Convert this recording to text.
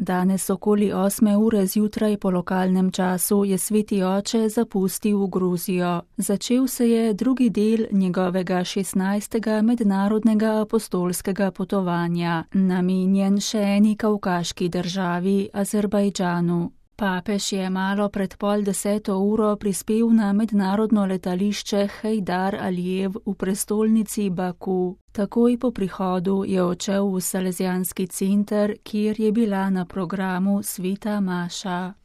Danes okoli 8. ure zjutraj po lokalnem času je sveti oče zapustil Gruzijo. Začel se je drugi del njegovega 16. mednarodnega apostolskega potovanja, namenjen še eni kavkaški državi, Azerbajdžanu. Papež je malo pred 9:30 prispel na mednarodno letališče Heydar Alijev v prestolnici Baku. Takoj po prihodu je odšel v Salezijanski center, kjer je bila na programu sveta maša.